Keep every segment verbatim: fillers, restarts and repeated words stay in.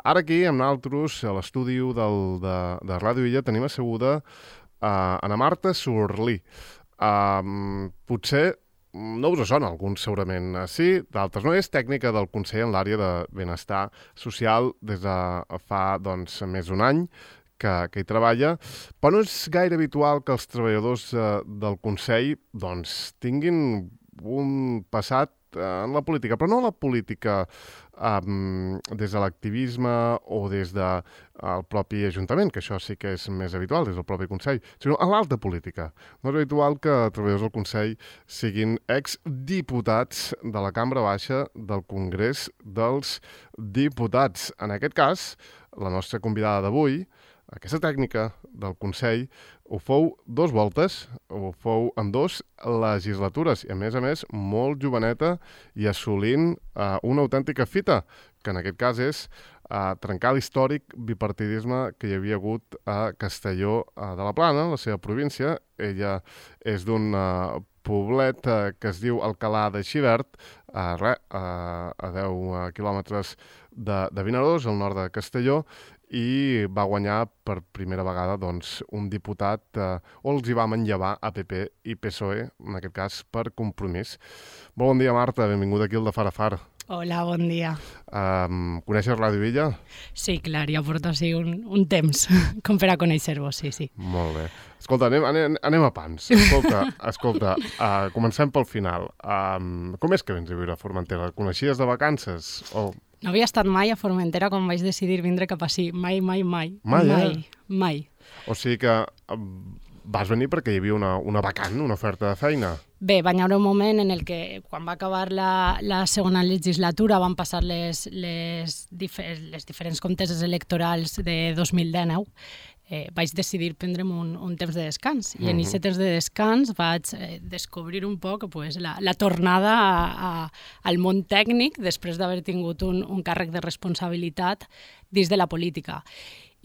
ara aquí, amb nosaltres, a l'estudi de, de Ràdio Illa, tenim asseguda uh, Ana Marta Surlí. Uh, potser no us sona, alguns segurament sí, d'altres no. És tècnica del Consell en l'àrea de benestar social des de fa doncs, més d'un any que, que hi treballa, però no és gaire habitual que els treballadors eh, del Consell doncs, tinguin un passat en la política, però no la política um, des de l'activisme o des del de, propi Ajuntament, que això sí que és més habitual, des del propi Consell, sinó a l'alta política. No és habitual que treballadors del Consell siguin exdiputats de la Cambra Baixa del Congrés dels Diputats. En aquest cas, la nostra convidada d'avui, aquesta tècnica del Consell, ho fou dos voltes, ho fou en dos legislatures, i a més a més molt joveneta i assolint eh, una autèntica fita, que en aquest cas és eh, trencar l'històric bipartidisme que hi havia hagut a Castelló eh, de la Plana, la seva província. Ella és d'un eh, poblet eh, que es diu Alcalà de Xivert, eh, re, eh, a deu quilòmetres de, de Vinaròs, al nord de Castelló, i va guanyar per primera vegada doncs, un diputat eh, o els hi va manllevar a P P i P S O E, en aquest cas per Compromís. Bon dia, Marta, benvinguda aquí al de Far a Far. Hola, bon dia. Um, coneixes Ràdio Illa? Sí, clar, ja porto així un, un temps, com per a conèixer-vos, sí, sí. Molt bé. Escolta, anem, anem, anem a pans. Escolta, escolta uh, comencem pel final. Um, com és que vens a viure a Formentera? Coneixies de vacances? O... No havia estat mai a Formentera quan vaig decidir vindre cap així. Mai, mai, mai. Mai, mai, eh? mai. O sigui que um, vas venir perquè hi havia una, una vacant, una oferta de feina. Bé, va haver un moment en el que, quan va acabar la, la segona legislatura, van passar les, les, difer les diferents conteses electorals de dos mil dinou, eh, vaig decidir prendre'm un, un temps de descans. I en aquest temps de descans vaig eh, descobrir un poc pues, la, la tornada a, a, al món tècnic després d'haver tingut un, un càrrec de responsabilitat dins de la política.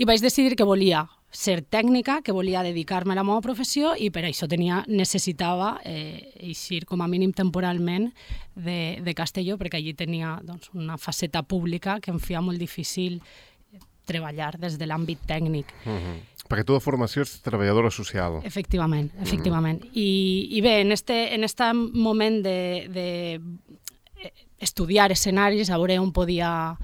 I vaig decidir que volia ser tècnica, que volia dedicar-me a la meva professió i per això tenia, necessitava eh, eixir com a mínim temporalment de, de Castelló, perquè allí tenia doncs, una faceta pública que em feia molt difícil treballar des de l'àmbit tècnic. Uh-huh. Perquè tu de formació ets treballadora social. Efectivament, efectivament. Uh-huh. I, I bé, en este, en este moment de, de estudiar escenaris, a veure on podia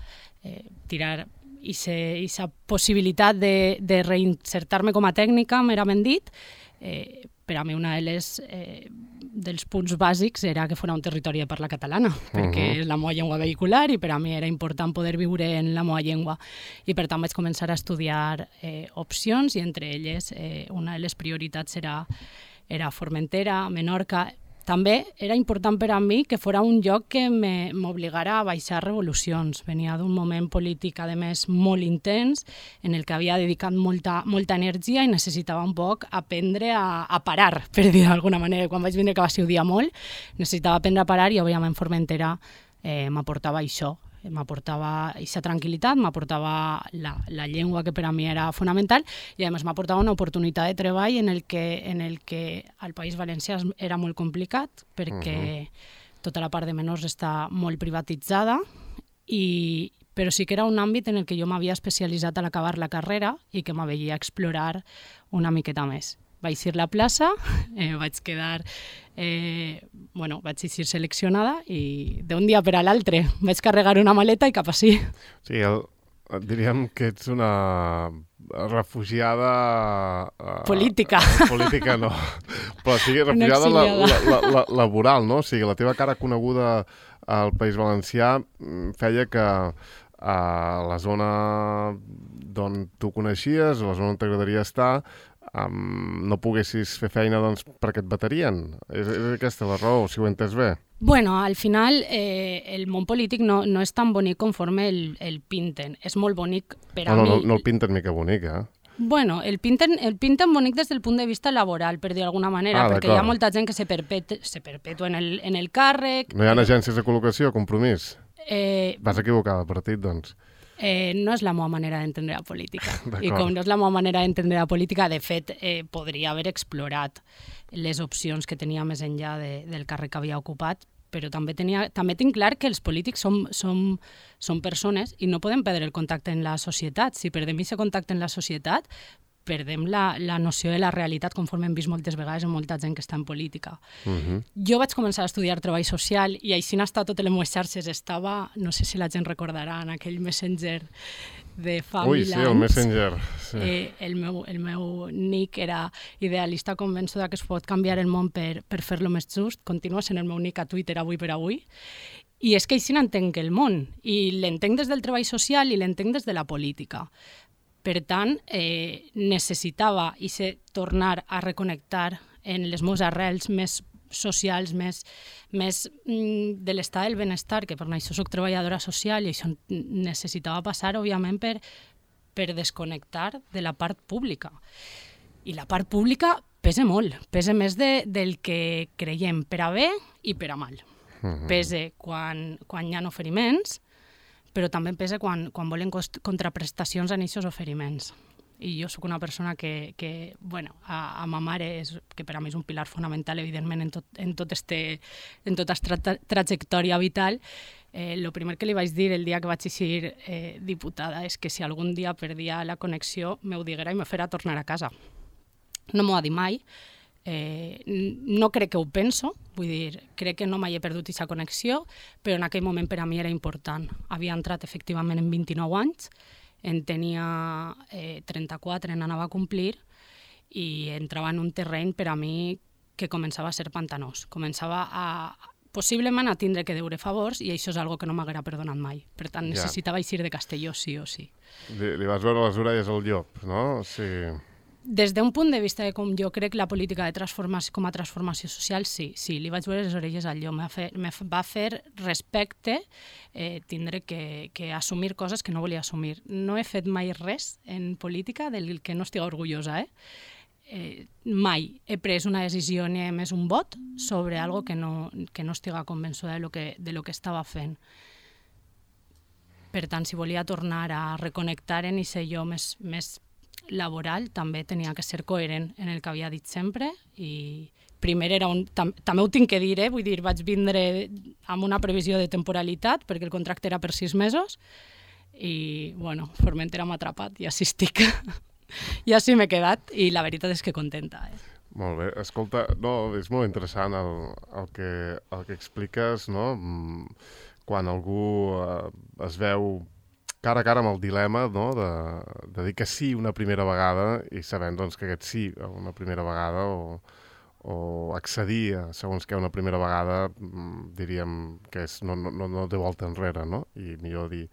eh, tirar i aquesta possibilitat de, de reinsertar-me com a tècnica, merament dit, eh, per a mi una de les, eh, dels punts bàsics era que fos un territori de parla catalana, perquè uh-huh. és la meva llengua vehicular i per a mi era important poder viure en la meva llengua. I per tant vaig començar a estudiar eh, opcions i entre elles eh, una de les prioritats era, era Formentera, Menorca. També era important per a mi que fos un lloc que m'obligara a baixar revolucions. Venia d'un moment polític, a més, molt intens, en el que havia dedicat molta, molta energia i necessitava un poc aprendre a, a parar, per dir d'alguna manera. Quan vaig vindre, que va ser un dia molt, necessitava aprendre a parar i, òbviament, Formentera eh, m'aportava això. M'aportava aquesta tranquil·litat, m'aportava la, la llengua que per a mi era fonamental i a més m'aportava una oportunitat de treball en el que, en el que al País Valencià era molt complicat perquè uh-huh. tota la part de menors està molt privatitzada, i, però sí que era un àmbit en el que jo m'havia especialitzat a l'acabar la carrera i que m'havia explorar una miqueta més. Vaig ir a la plaça, eh, vaig quedar, eh, bueno, vaig ser seleccionada i d'un dia per a l'altre vaig carregar una maleta i cap així. Sí, el, diríem que ets una refugiada... Uh, política. Uh, política no, però sí, refugiada la, la, la, la, laboral, no? O sigui, la teva cara coneguda al País Valencià feia que a la zona d'on tu coneixies, a la zona on t'agradaria estar, Um, no poguessis fer feina doncs, perquè et baterien. És, és aquesta la raó, si ho he entès bé. Bueno, al final eh, el món polític no, no és tan bonic conforme el, el pinten. És molt bonic per a no, mi... No, no el pinten mica bonic, eh? Bueno, el pinten, el pinten bonic des del punt de vista laboral, per dir d'alguna manera, ah, perquè hi ha molta gent que se perpetua, se perpetua en, el, en el càrrec... No hi ha agències de col·locació, Compromís? Eh... Vas equivocar de partit, doncs. Eh, no és la meva manera d'entendre la política. I com no és la meva manera d'entendre la política, de fet, eh, podria haver explorat les opcions que tenia més enllà de, del càrrec que havia ocupat, però també, tenia, també tinc clar que els polítics som, som, som persones i no podem perdre el contacte en la societat. Si perdem aquest contacte en la societat, perdem la, la noció de la realitat conforme hem vist moltes vegades en molta gent que està en política. Uh-huh. Jo vaig començar a estudiar treball social i així n'està totes les meves xarxes. Estava, no sé si la gent recordarà, en aquell Messenger de fa Ui, mil sí, anys. el Messenger. Sí. Eh, el, meu, el meu nick era idealista convençuda que es pot canviar el món per, per fer-lo més just. Continua sent el meu nick a Twitter avui per avui. I és que així n'entenc el món. I l'entenc des del treball social i l'entenc des de la política. Per tant, eh, necessitava i se tornar a reconnectar en les meves arrels més socials, més, més mm, de l'estat del benestar, que per això soc treballadora social i això necessitava passar, òbviament, per, per desconnectar de la part pública. I la part pública pesa molt, pesa més de, del que creiem, per a bé i per a mal. Uh-huh. Pesa quan, quan hi ha oferiments, però també pesa quan, quan volen contraprestacions en aquests oferiments. I jo sóc una persona que, que bueno, a, a ma mare, és, que per a mi és un pilar fonamental, evidentment, en, tot, en, tot este, en tota esta tra trajectòria vital. Eh, lo primer que li vaig dir el dia que vaig eixir eh, diputada és que si algun dia perdia la connexió, m'ho diguera i me fera tornar a casa. No m'ho ha dit mai. Eh, no crec que ho penso, vull dir, crec que no mai he perdut aquesta connexió, però en aquell moment per a mi era important. Havia entrat efectivament en vint-i-nou anys, en tenia eh, trenta-quatre, en anava a complir, i entrava en un terreny per a mi que començava a ser pantanós. Començava a, possiblement a tindre que deure favors, i això és algo que no m'haguera perdonat mai. Per tant, necessitava eixir de Castelló sí o sí. Li, li vas veure les orelles al llop, no? Sí. Des d'un punt de vista de com jo crec la política de transformació com a transformació social, sí, sí, li vaig veure les orelles al llop. Me va fer respecte eh, tindre que, que assumir coses que no volia assumir. No he fet mai res en política del que no estigui orgullosa, eh? Eh, mai he pres una decisió ni he emès un vot sobre algo que no, que no estiga convençuda de lo que, de lo que estava fent. Per tant, si volia tornar a reconnectar en aquest jo més, més laboral, també tenia que ser coherent en el que havia dit sempre, i primer era un... Tam, també ho tinc que dir, eh? Vull dir, vaig vindre amb una previsió de temporalitat, perquè el contracte era per sis mesos, i, bueno, Formentera m'ha atrapat, i així estic. I així m'he quedat, i la veritat és que contenta. Eh? Molt bé. Escolta, no, és molt interessant el, el, que, el que expliques, no? Quan algú eh, es veu cara a cara amb el dilema, no? de, de dir que sí una primera vegada i sabent doncs, que aquest sí una primera vegada o, o accedir a segons què una primera vegada diríem que és, no, no, no té volta enrere, no? I millor dir,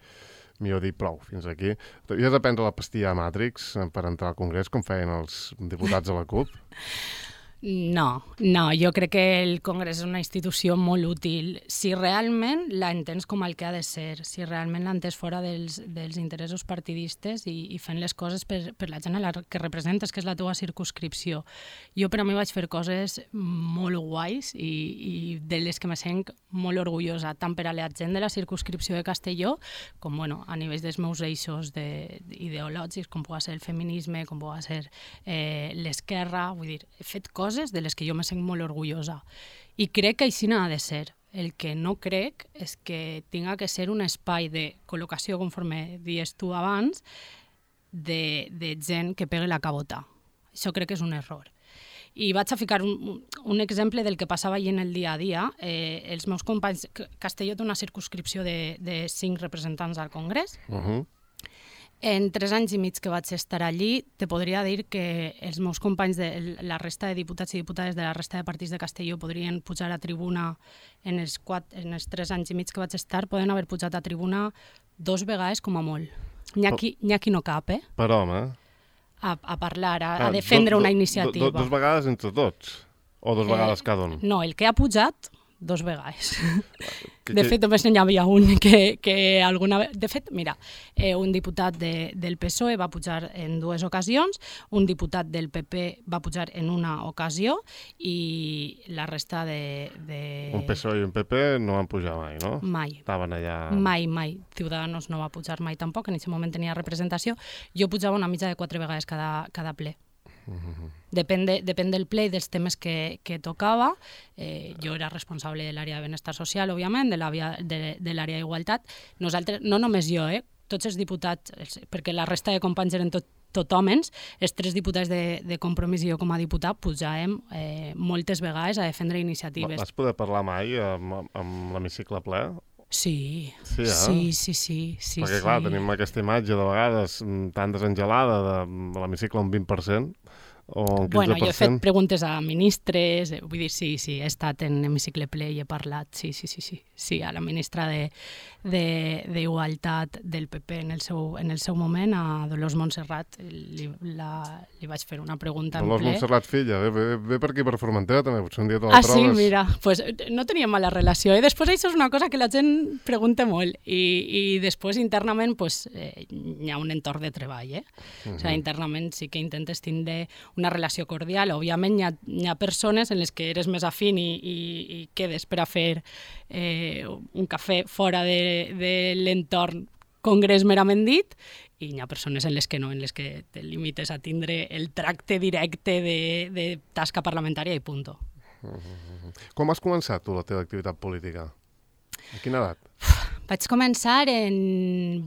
millor dir prou, fins aquí. T'havies de prendre la pastilla Matrix per entrar al Congrés, com feien els diputats de la CUP? No, no, jo crec que el Congrés és una institució molt útil si realment la entens com el que ha de ser, si realment l'entens fora dels, dels interessos partidistes i, i fent les coses per, per la gent a la que representes, que és la teva circumscripció. Jo per a mi vaig fer coses molt guais i, i de les que me sent molt orgullosa, tant per a la gent de la circumscripció de Castelló com bueno, a nivell dels meus eixos de, ideològics, com pugui ser el feminisme, com pugui ser eh, l'esquerra, vull dir, he fet coses de les que jo me sent molt orgullosa. I crec que així n'ha de ser. El que no crec és que tinga que ser un espai de col·locació, conforme dies tu abans, de, de gent que pegue la cabota. Això crec que és un error. I vaig a ficar un, un exemple del que passava allí en el dia a dia. Eh, els meus companys... Castelló té una circumscripció de, de cinc representants al Congrés. Uh-huh. En tres anys i mig que vaig estar allí, te podria dir que els meus companys, de la resta de diputats i diputades de la resta de partits de Castelló podrien pujar a tribuna en els, quatre, en els tres anys i mig que vaig estar, poden haver pujat a tribuna dos vegades com a molt. N'hi ha qui, n'hi ha qui no cap, eh? Per home. A, a parlar, a, ah, a defendre do, do, una iniciativa. Do, do, dos vegades entre tots? O dos eh, vegades cada un? No, el que ha pujat, dos vegades. Que, de fet, només n'hi havia un que, que alguna vegada... De fet, mira, eh, un diputat de, del P S O E va pujar en dues ocasions, un diputat del P P va pujar en una ocasió i la resta de... de... Un P S O E i un P P no van pujar mai, no? Mai. Estaven allà... Mai, mai. Ciudadanos no va pujar mai tampoc, en aquest moment tenia representació. Jo pujava una mitja de quatre vegades cada, cada ple. Uh-huh. Depèn, de, depèn del ple i dels temes que, que tocava. Eh, jo era responsable de l'àrea de benestar social, òbviament, de l'àrea de, de l'àrea d'igualtat. Nosaltres, no només jo, eh, tots els diputats, els, perquè la resta de companys eren tot, tot homes, els tres diputats de, de Compromís i jo com a diputat pujàvem eh, moltes vegades a defendre iniciatives. Vas poder parlar mai amb, amb l'hemicicle ple? Sí, sí, eh? sí, sí, sí, sí. Perquè, sí. clar, tenim aquesta imatge de vegades tan desengelada de, de l'hemicicle un vint per cent o un quinze per cent. Bueno, jo he fet preguntes a ministres, eh, vull dir, sí, sí, he estat en hemicicle ple i he parlat, sí, sí, sí, sí, sí, a la ministra de, de, d'Igualtat del P P en el seu, en el seu moment, a Dolors Montserrat, li, la, li vaig fer una pregunta en Dolors ple. Montserrat, filla, ve, ve, ve per aquí per Formentera també, potser un dia te la ah, trobes. Ah, sí, mira, pues no teníem mala relació, eh? Després això és una cosa que la gent pregunta molt, i, i després internament pues, eh, hi ha un entorn de treball, eh? Uh-huh. O sigui, internament sí que intentes tindre una relació cordial. Òbviament hi ha, hi ha persones en les que eres més afín i, i, i quedes per a fer eh, un cafè fora de, de l'entorn congrés merament dit, i hi ha persones en les que no, en les que te limites a tindre el tracte directe de, de tasca parlamentària i punto. Uh-huh. Com has començat tu la teva activitat política? A quina edat? Vaig començar en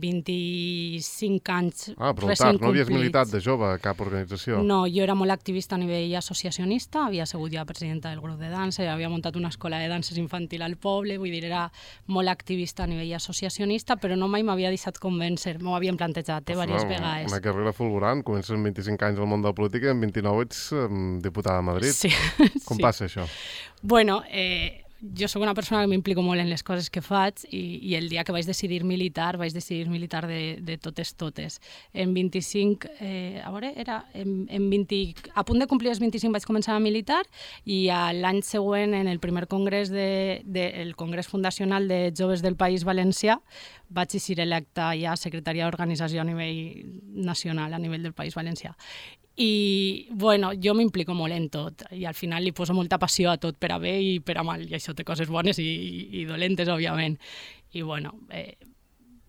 vint-i-cinc anys Ah, però recent tard, no havies complits. militat de jove a cap organització? No, jo era molt activista a nivell associacionista, havia sigut ja presidenta del grup de dansa, havia muntat una escola de danses infantil al poble, vull dir, era molt activista a nivell associacionista, però no mai m'havia deixat convèncer, m'ho havien plantejat eh, diverses no, vegades. Una carrera fulgurant, comences amb vint-i-cinc anys al món de la política i amb vint-i-nou ets um, diputada de Madrid. Sí. Com sí. passa això? Bueno, eh, jo sóc una persona que m'implico molt en les coses que faig i, i el dia que vaig decidir militar, vaig decidir militar de, de totes totes. En vint-i-cinc, eh, a veure, era en, en vint, a punt de complir els vint-i-cinc vaig començar a militar i l'any següent, en el primer congrés de, de, el congrés fundacional de joves del País Valencià, vaig ser electa ja secretària d'organització a nivell nacional, a nivell del País Valencià. I, bueno, jo m'implico molt en tot i al final li poso molta passió a tot, per a bé i per a mal, i això té coses bones i, i dolentes, òbviament. I, bueno, eh,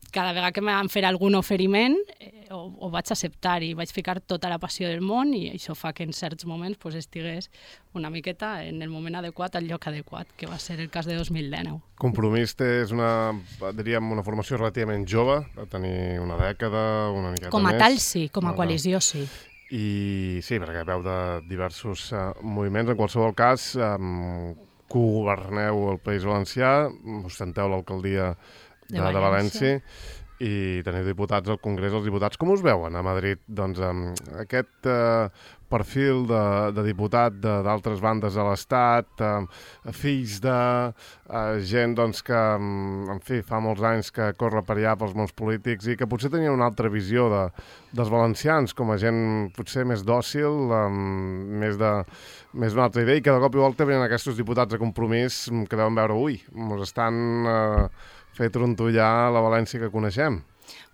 cada vegada que m'han fet algun oferiment eh, ho, ho vaig acceptar i vaig ficar tota la passió del món i això fa que en certs moments pues, estigués una miqueta en el moment adequat al lloc adequat, que va ser el cas de dos mil dinou. Compromís és una, diríem, una formació relativament jove, de tenir una dècada, una miqueta més. Com a tal, sí, com a coalició, sí. I sí, perquè veu de diversos uh, moviments. En qualsevol cas, um, cogoverneu el País Valencià, ostenteu l'alcaldia de, de, de València i teniu diputats al Congrés dels Diputats. Com us veuen a Madrid? Doncs um, aquest uh, perfil de, de diputat d'altres bandes de l'Estat, uh, fills de uh, gent doncs, que, um, en fi, fa molts anys que corre per allà pels mons polítics i que potser tenien una altra visió de, dels valencians, com a gent potser més dòcil, um, més de més d'una altra idea, i que de cop i volta venen aquests diputats de Compromís que deuen veure, ui, ens estan uh, fent trontollar la València que coneixem.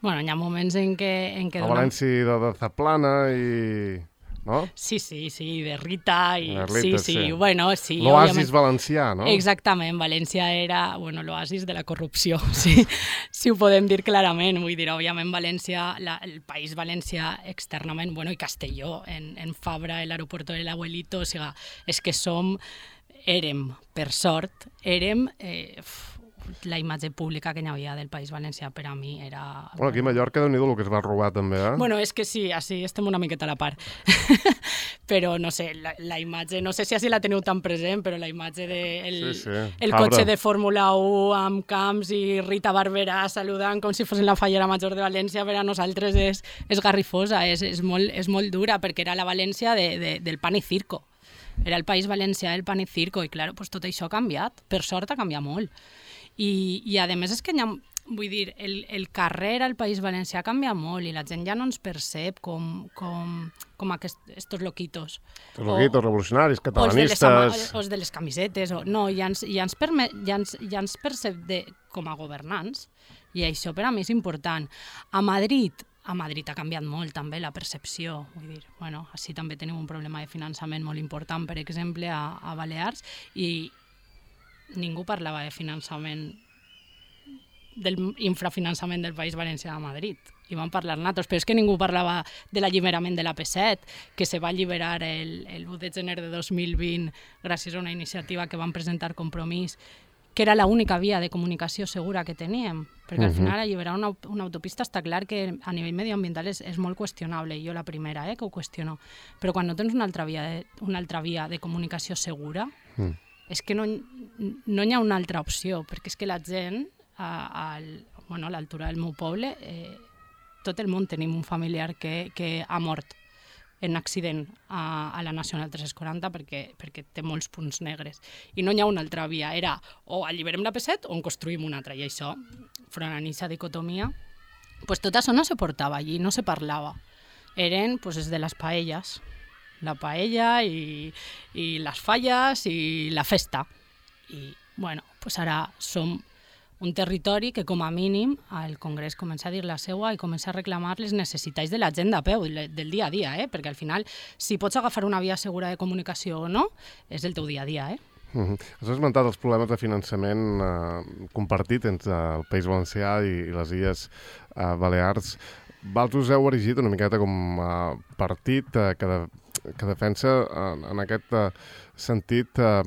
Bueno, hi ha moments en què... En què la donem... València de, de Zaplana i... no? Sí, sí, sí, de Rita i... De Rita, sí, sí, sí. Bueno, sí. L'oasis òbviament... valencià, no? Exactament, València era, bueno, l'oasis de la corrupció, sí, si ho podem dir clarament. Vull dir, òbviament, València, la, el País Valencià externament, bueno, i Castelló, en, en Fabra, l'aeroport de l'Abuelito, o sigui, és que som, érem, per sort, érem... Eh, la imatge pública que hi havia del País Valencià per a mi era... Bueno, aquí a Mallorca, déu-n'hi-do el que es va robar també, eh? Bueno, és que sí, així estem una miqueta a la part. Però, no sé, la, la imatge, no sé si així la teniu tan present, però la imatge de el, sí, sí. el cotxe de Fórmula u amb Camps i Rita Barberà saludant com si fos la fallera major de València, per a nosaltres és, és garrifosa, és, és, molt, és molt dura, perquè era la València de, de, del pan i circo. Era el País Valencià del pan i circo, i clar, pues, tot això ha canviat. Per sort ha canviat molt. I, i a més és que ha, vull dir, el, el carrer al País Valencià ha canviat molt i la gent ja no ens percep com, com, com aquests loquitos. Els loquitos revolucionaris, catalanistes... O els de les, o els de les camisetes. O, no, ja ens, ja ens, permet, ja ens, ja ens percep de, com a governants i això per a mi és important. A Madrid... A Madrid ha canviat molt també la percepció, vull dir, bueno, així també tenim un problema de finançament molt important, per exemple, a, a Balears, i ningú parlava de finançament, del infrafinançament del País Valencià a Madrid. i vam parlar nosaltres, però és que ningú parlava de l'alliberament de l'A P set, que se va alliberar el, el u de gener de dos mil vint gràcies a una iniciativa que van presentar Compromís, que era l'única via de comunicació segura que teníem, perquè al final alliberar una, una autopista està clar que a nivell medioambiental és, és molt qüestionable, i jo la primera eh, que ho qüestiono, però quan no tens una altra via de, una altra via de comunicació segura, mm. és que no, no hi ha una altra opció, perquè és que la gent, a, a, bueno, a l'altura del meu poble, eh, tot el món tenim un familiar que, que ha mort en accident a, a la Nacional tres cents quaranta perquè, perquè té molts punts negres. I no hi ha una altra via. Era o alliberem l'A P set o en construïm una altra. I això, front a aquesta dicotomia, pues tot això no se portava allí, no se parlava. Eren pues, des de les paelles. La paella i, i les falles i la festa. I, bueno, pues ara som un territori que, com a mínim, el Congrés comença a dir la seua i comença a reclamar les necessitats de la gent de peu, del dia a dia, eh? Perquè al final, si pots agafar una via segura de comunicació o no, és el teu dia a dia. Eh? Uh-huh. Has esmentat els problemes de finançament eh, compartit entre el País Valencià i, i les Illes eh, Balears. Vosaltres us heu erigit una miqueta com a partit eh, que, de, que defensa en, en aquest eh, sentit eh,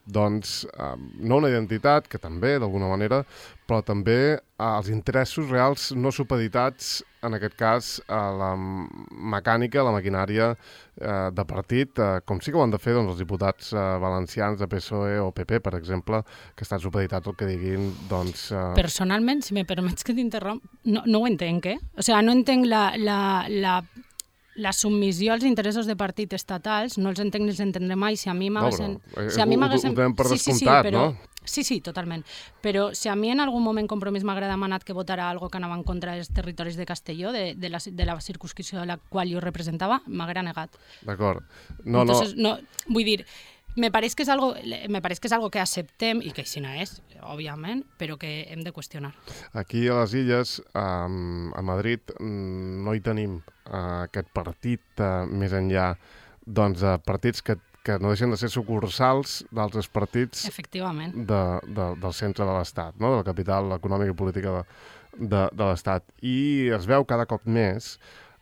doncs, eh, no una identitat, que també, d'alguna manera, però també eh, els interessos reals no supeditats, en aquest cas, a la mecànica, a la maquinària eh, de partit, eh, com sí que ho han de fer doncs, els diputats eh, valencians de P S O E o P P, per exemple, que estan supeditats al que diguin, doncs... Eh... Personalment, si me permets que t'interromp, no, no ho entenc, eh? O sigui, no entenc la... la, la... la submissió als interessos de partit estatals, no els entenc ni els entendré mai. Si a mi m'haguessin... No, si a mi m'haguessin... Ho donem per sí, descomptat, sí, sí, però... no? Sí, sí, totalment. Però si a mi en algun moment Compromís m'hagués demanat que votara algo que anava en contra dels territoris de Castelló, de, de, la, de la circunscripció de la qual jo representava, m'haguera negat. D'acord. No, Entonces, no... no... Vull dir, me pareix que és algo, me pareix que és algo que acceptem i que així no és, òbviament, però que hem de qüestionar. Aquí a les Illes, um, a Madrid, no hi tenim uh, aquest partit uh, més enllà doncs, de partits que, que no deixen de ser sucursals d'altres partits Efectivament. De, de, del centre de l'Estat, no? De la capital econòmica i política de, de, de l'Estat. I es veu cada cop més,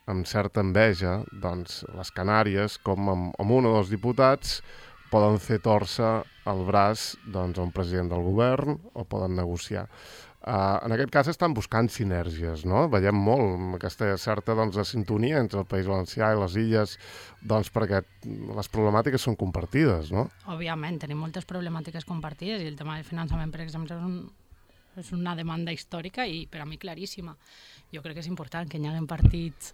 amb certa enveja, doncs, les Canàries, com amb, amb un o dos diputats poden fer torça el braç doncs, a un president del govern o poden negociar. Uh, en aquest cas estan buscant sinergies, no? Veiem molt aquesta certa doncs, sintonia entre el País Valencià i les Illes, doncs, perquè les problemàtiques són compartides, no? Òbviament, tenim moltes problemàtiques compartides i el tema del finançament, per exemple, és, un, és una demanda històrica i per a mi claríssima. Jo crec que és important que hi hagi partits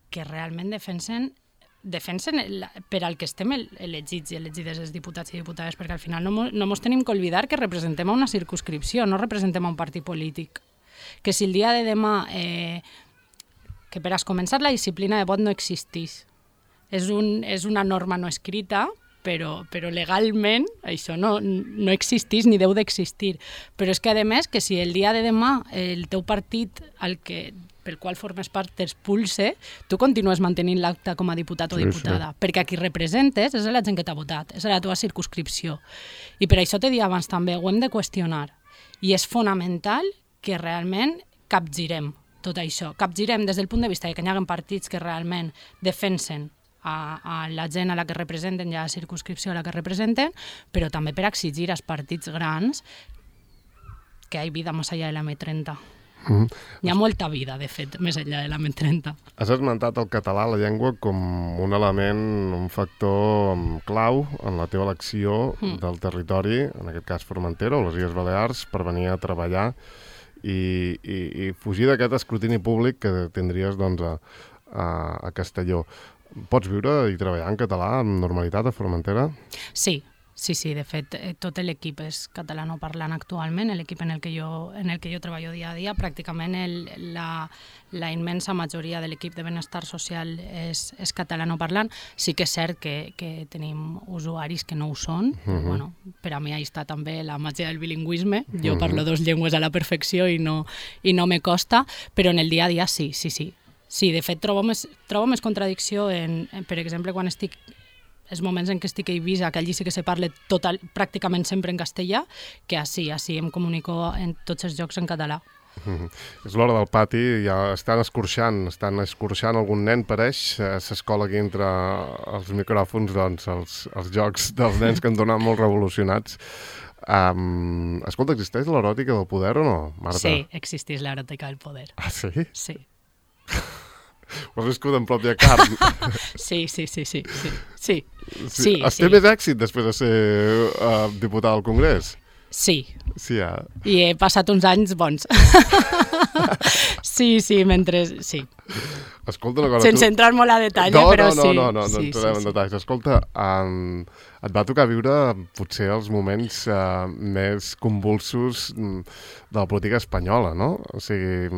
que realment defensen defensen el, per al que estem elegits i elegides els diputats i diputades, perquè al final no mos, no mos tenim que oblidar que representem a una circunscripció, no representem a un partit polític. Que si el dia de demà, eh, que per a començar la disciplina de vot no existís, és, un, és una norma no escrita, però, però legalment això no, no existís ni deu d'existir. Però és que, a més, que si el dia de demà el teu partit, el que pel qual formes part t'expulse, tu continues mantenint l'acte com a diputat o diputada, sí, sí. Perquè a qui representes és la gent que t'ha votat, és la teva circunscripció. I per això t'he dit abans també, ho hem de qüestionar. I és fonamental que realment capgirem tot això. Capgirem des del punt de vista que hi ha partits que realment defensen a, a la gent a la que representen i a la circunscripció a la que representen, però també per exigir als partits grans que hi ha vida més enllà de la M trenta. Mm-hmm. Hi ha molta vida, de fet, més enllà de la M trenta. Has esmentat el català, la llengua, com un element, un factor clau en la teva elecció mm. del territori, en aquest cas Formentera o les Illes Balears, per venir a treballar i, i, i fugir d'aquest escrutini públic que tindries doncs, a, a, a Castelló. Pots viure i treballar en català amb normalitat a Formentera? Sí. Sí, sí, de fet, tot l'equip és catalanoparlant actualment, l'equip en el que jo, en el que jo treballo dia a dia, pràcticament el, la, la immensa majoria de l'equip de benestar social és, és catalanoparlant. Sí que és cert que, que tenim usuaris que no ho són, uh-huh. Però, bueno, per a mi ahí està també la màgia del bilingüisme. Jo uh-huh. parlo dos llengües a la perfecció i no, i no me costa, però en el dia a dia sí, sí, sí. Sí, de fet, trobo més, trobo més contradicció en, en, per exemple, quan estic els moments en què estic a Eivissa, que allí sí que se parla total, pràcticament sempre en castellà, que així, així em comunico en tots els jocs en català. Mm-hmm. És l'hora del pati, ja estan escorxant, estan escorxant algun nen, pareix, s'escola aquí entre els micròfons, doncs, els, els jocs dels nens que han donat molt revolucionats. Um, escolta, existeix l'eròtica del poder o no, Marta? Sí, existeix l'eròtica del poder. Ah, sí? Sí. Ho has viscut en pròpia carn. Sí, sí, sí, sí, sí. sí. sí. sí Has sí. té més èxit després de ser uh, diputada al Congrés? Sí. Sí, ja. I he passat uns anys bons. Sí, sí, mentre... Sí. Escolta una cosa... Sense tu... entrar molt a detall, no, però no, no, sí. No, no, no, sí, no entrarem sí, en sí. detalls. Escolta, um, et va tocar viure potser els moments uh, més convulsos de la política espanyola, no? O sigui,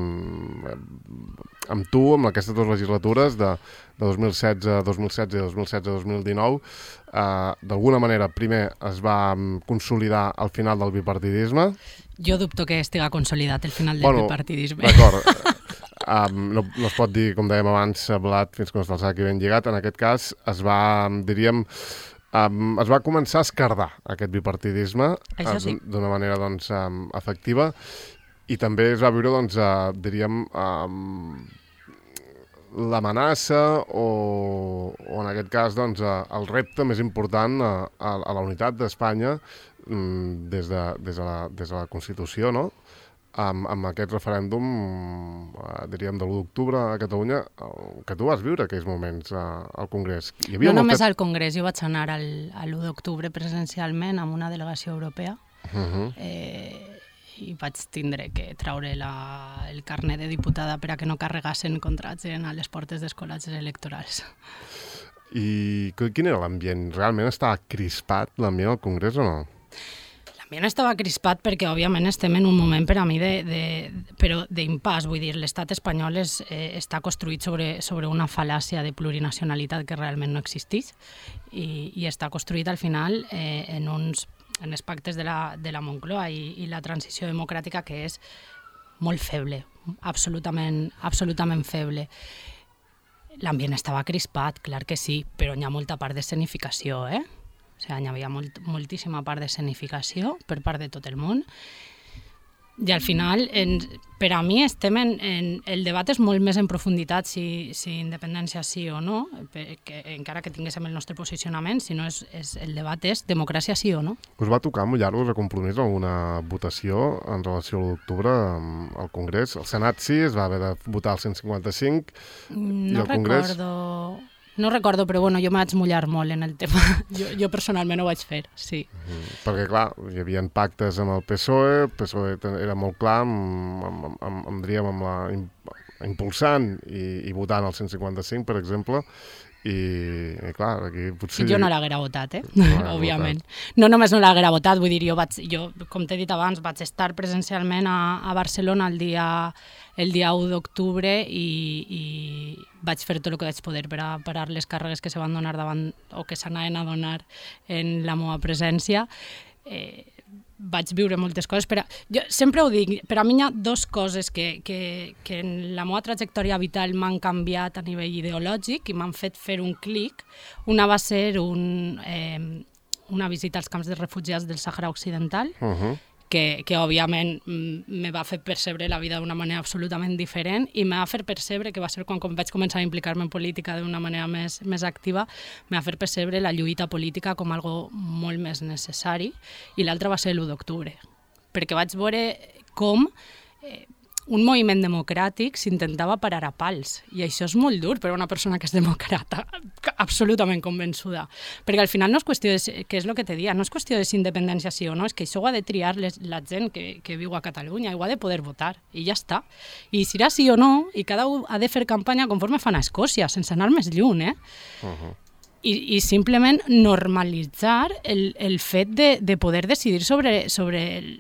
amb tu, amb aquestes dues legislatures de, de dos mil setze, dos mil setze i dos mil setze dos mil dinou, uh, d'alguna manera, primer es va consolidar el final del bipartidisme. Jo dubto que estiga consolidat el final del bueno, bipartidisme. D'acord. Um, no, no es pot dir, com dèiem abans, blat fins que no està el sac i ben lligat. En aquest cas es va, diríem, um, es va començar a esquerdar aquest bipartidisme Això sí. uh, d'una manera doncs, um, efectiva, i també es va viure, doncs, uh, diríem, um, l'amenaça o, o en aquest cas doncs, uh, el repte més important uh, a, a la unitat d'Espanya um, des, de, des, de la, des de la Constitució, no? Amb, amb aquest referèndum, eh, diríem, de l'u d'octubre a Catalunya, el, que tu vas viure aquells moments eh, al Congrés. Hi havia no molta... només al Congrés, jo vaig anar al, a l'u d'octubre presencialment amb una delegació europea uh-huh. eh, i vaig tindre que traure la, el carnet de diputada per a que no carregassen contra gent a les portes dels col·legis electorals. I quin era l'ambient? Realment estava crispat l'ambient al Congrés o no? L'ambient estava crispat perquè, òbviament, estem en un moment per a mi de, de, però d'impàs. Vull dir, l'estat espanyol és, eh, està construït sobre, sobre una fal·làcia de plurinacionalitat que realment no existeix i, i està construït al final eh, en uns en els pactes de la, de la Moncloa i, i la transició democràtica que és molt feble, absolutament, absolutament feble. L'ambient estava crispat, clar que sí, però hi ha molta part d'escenificació, eh? O sigui, hi havia molt, moltíssima part d'escenificació per part de tot el món. I al final, en, per a mi, estem en, en... El debat és molt més en profunditat si, si independència sí o no, que, encara que tinguéssim el nostre posicionament, si no és, és, el debat és democràcia sí o no. Us va tocar mullar-vos a compromís alguna votació en relació a l'u d'octubre al Congrés? El Senat sí, es va haver de votar el cent cinquanta-cinc no i el Congrés... recordo... No recordo, però bueno, jo em vaig mullar molt en el tema. Jo, jo personalment ho vaig fer, sí. Mm, perquè, clar, hi havia pactes amb el P S O E, el P S O E era molt clar, amb, amb, amb, amb, diríem, amb la impulsant i, i votant el cent cinquanta-cinc, per exemple, i, i clar, aquí potser... Jo no l'haguera votat, eh? No òbviament. Votat. No només no l'haguera votat, vull dir, jo, vaig, jo com t'he dit abans, vaig estar presencialment a, a Barcelona el dia, el dia u d'octubre i, i vaig fer tot el que vaig poder per a parar les càrregues que se van donar davant o que s'anaven a donar en la meva presència. Eh, vaig viure moltes coses. Per a, jo sempre ho dic, per a mi hi ha dues coses que, que, que en la meva trajectòria vital m'han canviat a nivell ideològic i m'han fet fer un clic. Una va ser un, eh, una visita als camps de refugiats del Sàhara Occidental, uh-huh. que, que òbviament me va fer percebre la vida d'una manera absolutament diferent i me va fer percebre, que va ser quan vaig començar a implicar-me en política d'una manera més, més activa, me va fer percebre la lluita política com algo molt més necessari, i l'altra va ser l'u d'octubre, perquè vaig veure com eh, un moviment democràtic s'intentava parar a pals, i això és molt dur per a una persona que és democrata, absolutament convençuda, perquè al final no és qüestió de, que és el que te dia, no és qüestió de si independència sí o no, és que això ho ha de triar les, la gent que, que viu a Catalunya, i ho ha de poder votar, i ja està. I si serà sí o no, i cada un ha de fer campanya conforme fan a Escòcia, sense anar més lluny, eh? Uh-huh. I, i simplement normalitzar el, el fet de, de poder decidir sobre, sobre el,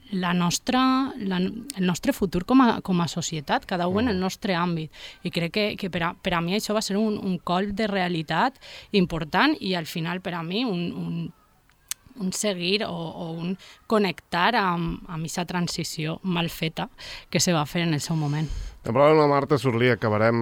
la nostra, la, el nostre futur com a, com a societat, cada un en el nostre àmbit. I crec que, que per, a, per a mi això va ser un, un colp de realitat important i al final per a mi un, un, un seguir o, o un connectar amb, amb aquesta transició mal feta que se va fer en el seu moment. En parlant amb la Marta Surlí, acabarem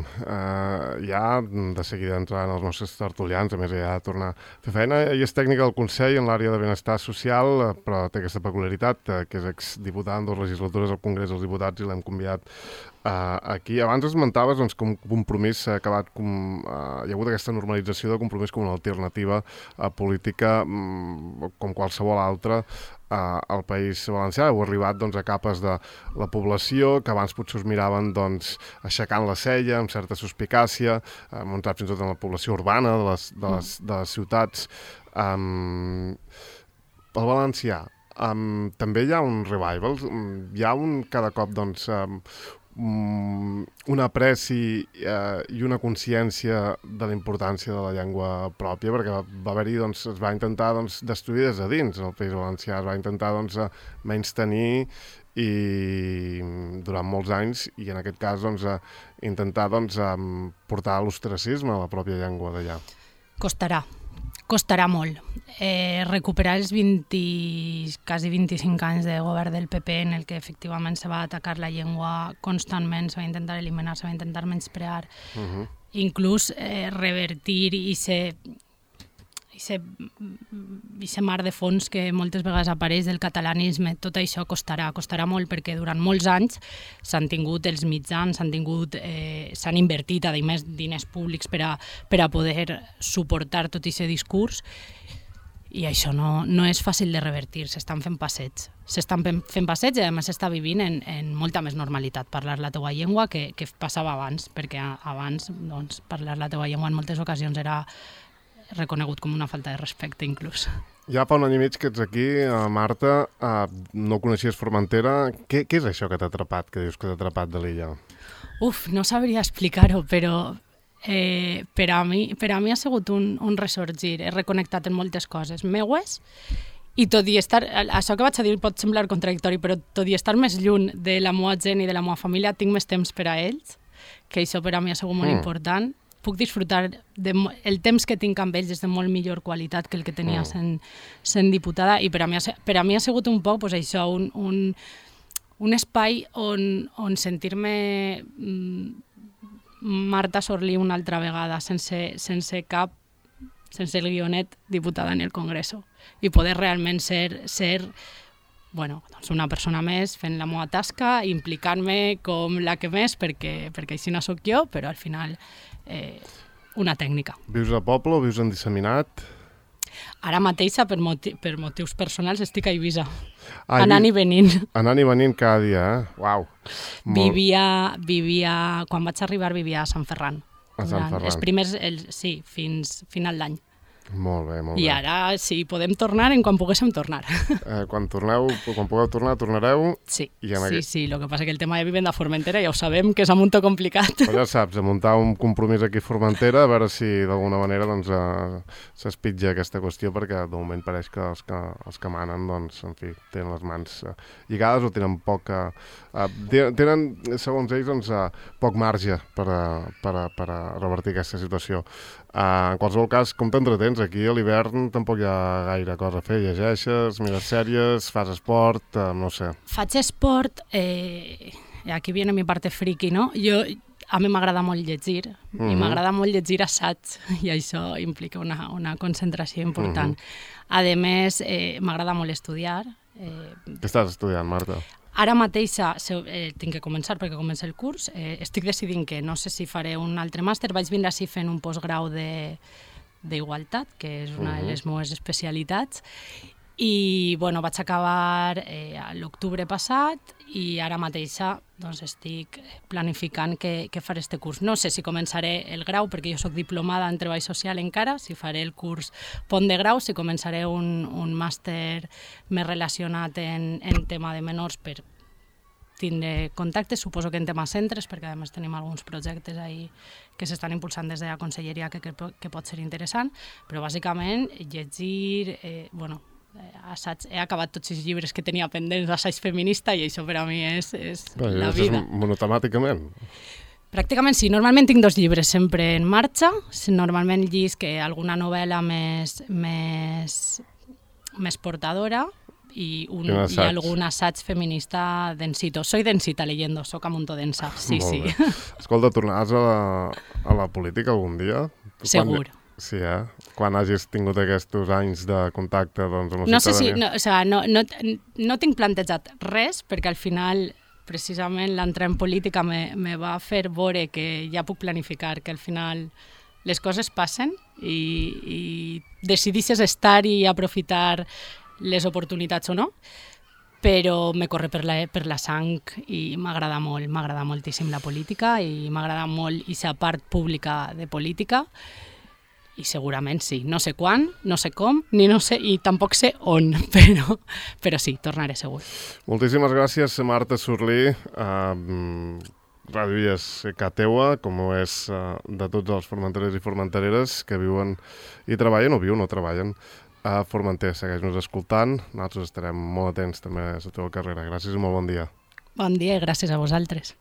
eh, ja de seguida entrant els nostres tertulians, a més ja de tornar a fer feina. Ella és tècnica del Consell en l'àrea de benestar social, però té aquesta peculiaritat, eh, que és exdiputada en dues legislatures al Congrés dels Diputats i l'hem convidat eh, aquí. Abans esmentaves doncs, que un compromís s'ha acabat, com, eh, hi ha hagut aquesta normalització de compromís com una alternativa eh, política mm, com qualsevol altra al País Valencià. Heu arribat doncs, a capes de la població que abans potser us miraven doncs, aixecant la cella, amb certa suspicàcia, hem entrat fins i tot en la població urbana de les, de les, de les ciutats. Um, pel valencià, um, també hi ha un revival, hi ha un cada cop doncs, um, un apreci eh, i una consciència de la importància de la llengua pròpia, perquè va, va haver-hi, doncs, es va intentar doncs, destruir des de dins el País Valencià, es va intentar doncs, menys tenir i durant molts anys, i en aquest cas doncs, intentar doncs, portar l'ostracisme a la pròpia llengua d'allà. Costarà. Costarà molt. Eh, recuperar els vint, quasi vint-i-cinc anys de govern del P P en el que efectivament se va atacar la llengua constantment, se va intentar eliminar, se va intentar menysprear, uh-huh. inclús eh, revertir i ser i ser, i ser mar de fons que moltes vegades apareix del catalanisme. Tot això costarà, costarà molt perquè durant molts anys s'han tingut els mitjans, s'han tingut, eh, s'han invertit a més diners públics per a, per a poder suportar tot aquest discurs, i això no, no és fàcil de revertir, s'estan fent passeigs. S'estan fent passeigs i a més s'està vivint en, en molta més normalitat parlar la teua llengua que, que passava abans, perquè abans doncs, parlar la teua llengua en moltes ocasions era reconegut com una falta de respecte, inclús. Ja fa un any i mig que ets aquí, Marta, no coneixies Formentera. Què, què és això que t'ha atrapat, que dius que t'ha atrapat de l'illa? Uf, no sabria explicar-ho, però eh, per, a mi, per a mi ha sigut un, un ressorgir. He reconnectat en moltes coses meues, i tot i estar, això que vaig a dir pot semblar contradictori, però tot i estar més lluny de la meva gent i de la meva família, tinc més temps per a ells, que això per a mi ha sigut molt mm. important. Puc disfrutar de, el temps que tinc amb ells és de molt millor qualitat que el que tenia mm. sent, sent diputada, i per a mi, per a mi ha sigut un poc pues, això, un, un, un espai on, on sentir-me mm, Marta Surlí una altra vegada, sense, sense cap, sense el guionet, diputada en el Congreso, i poder realment ser, ser bueno, doncs una persona més fent la meva tasca, implicant-me com la que més, perquè, perquè així no sóc jo, però al final eh, una tècnica. Vius a poble o vius en disseminat? Ara mateixa, per, moti per motius personals, estic a Eivissa, ah, anant i venint. Anant i venint cada dia, eh? Uau! Vivia, vivia, quan vaig arribar vivia a Sant Ferran. A Sant Ferran. Els primers, el, sí, fins final d'any. Molt bé, molt bé. I ara, si podem tornar, en quan poguéssim tornar. Eh, quan torneu, quan pugueu tornar, tornareu? Sí, i en sí, aquest... sí. El que passa que el tema de vivenda a Formentera ja ho sabem, que és un munt complicat. Però ja saps, a muntar un compromís aquí a Formentera, a veure si d'alguna manera doncs, eh, s'espitja aquesta qüestió, perquè de moment pareix que els que, els que manen, doncs, en fi, tenen les mans eh, lligades o tenen poc... Eh, tenen, segons ells, doncs, eh, poc marge per a, per a, per a revertir aquesta situació. Uh, en qualsevol cas, com t'entretens? Aquí a l'hivern tampoc hi ha gaire cosa a fer. Llegeixes, mires sèries, fas esport, uh, no sé. Faig esport, eh, aquí viene mi parte friki, no? Jo, a mi m'agrada molt llegir, mm-hmm. i m'agrada molt llegir assaig, i això implica una, una concentració important. Mm-hmm. A més, eh, m'agrada molt estudiar. Eh, Què estàs estudiant, Marta? Ara mateixa eh, tinc que començar perquè comença el curs. Eh, estic decidint que no sé si faré un altre màster. Vaig vindre així fent un postgrau d'igualtat, que és una uh-huh. de les meves especialitats. I bueno, vaig acabar eh, a l'octubre passat i ara mateixa doncs, estic planificant què, què faré este curs. No sé si començaré el grau, perquè jo soc diplomada en treball social encara, si faré el curs pont de grau, si començaré un, un màster més relacionat en, en tema de menors per tindre contactes, suposo que en tema centres, perquè a més tenim alguns projectes ahí que s'estan impulsant des de la conselleria que, que, que pot ser interessant, però bàsicament llegir, eh, bueno, assaig, he acabat tots els llibres que tenia pendents d'assaig feminista i això per a mi és, és Bé, la vida. És monotemàticament? Pràcticament sí. Normalment tinc dos llibres sempre en marxa. Normalment llisc alguna novel·la més, més més portadora i, un, I, un i algun assaig feminista densito. Soy densita leyendo, soc amuntodensa, sí, sí. Escolta, tornaràs a la, a la política algun dia? Segur. Quan, sí, eh? Quan hagis tingut aquests anys de contacte doncs, amb la no sé si, ciutadania. no, o sea, no, no, no tinc plantejat res, perquè al final, precisament, l'entrar en política me, me va fer veure que ja puc planificar, que al final les coses passen i, i decidisses estar i aprofitar les oportunitats o no, però me corre per la, per la sang i m'agrada molt, m'agrada moltíssim la política i m'agrada molt aquesta part pública de política i segurament sí, no sé quan, no sé com, ni no sé, i tampoc sé on, però, però sí, tornaré segur. Moltíssimes gràcies, Marta Surlí. Uh, Ràdio Illes que teua, com ho és uh, de tots els formenterers i formentereres que viuen i treballen, o viuen o treballen a Formentera. Segueix-nos escoltant. Nosaltres estarem molt atents també a la teva carrera. Gràcies i molt bon dia. Bon dia i gràcies a vosaltres.